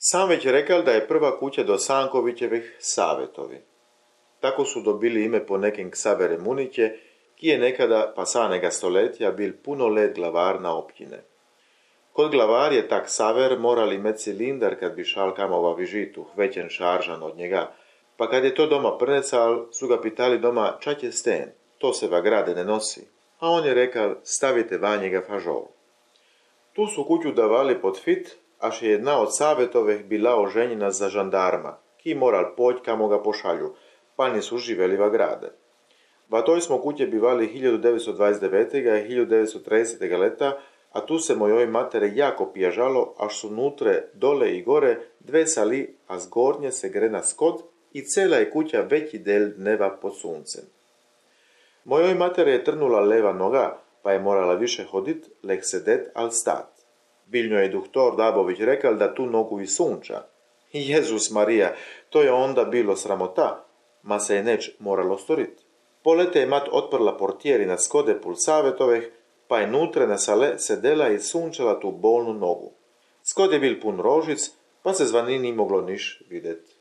Sam već rekal da je prva kuća do Sankovićevih Savetovi. Tako su dobili ime po nekim Ksavere Muniće, ki je nekada pasanega stoletja bil puno let glavarna općine. Kod glavar je tak Ksaver morali imeti cilindar kad bi šal kamova vižitu, većen šaržan od njega, pa kad je to doma prnecal, su ga pitali doma čak je sten, to se va grade ne nosi, a on je rekal stavite van njega fažol. Tu su kuću davali pod fit, až je jedna od Savetovih bila oženjena za žandarma, ki moral poć kamo ga pošalju, pa nisu živeli va grade. Va toj smo kuće bivali 1929. i 1930. leta, a tu se mojoj matere jako pježalo, až su nutre, dole i gore, dve sali, a zgornje se grena skod i cela je kuća veći del dneva pod suncem. Mojoj matere je trnula leva noga, pa je morala više hodit, lek sedet al stat. Biljno je doktor Dabović rekal da tu nogu i sunča. Jezus Marija, to je onda bilo sramota, ma se je neč moralo storit. Polete je mat otprla portijeri na skode pul Savetovih, pa je nutre na sale sedela i sunčala tu bolnu nogu. Skod je bil pun rožic, pa se zvani ni moglo niš videt.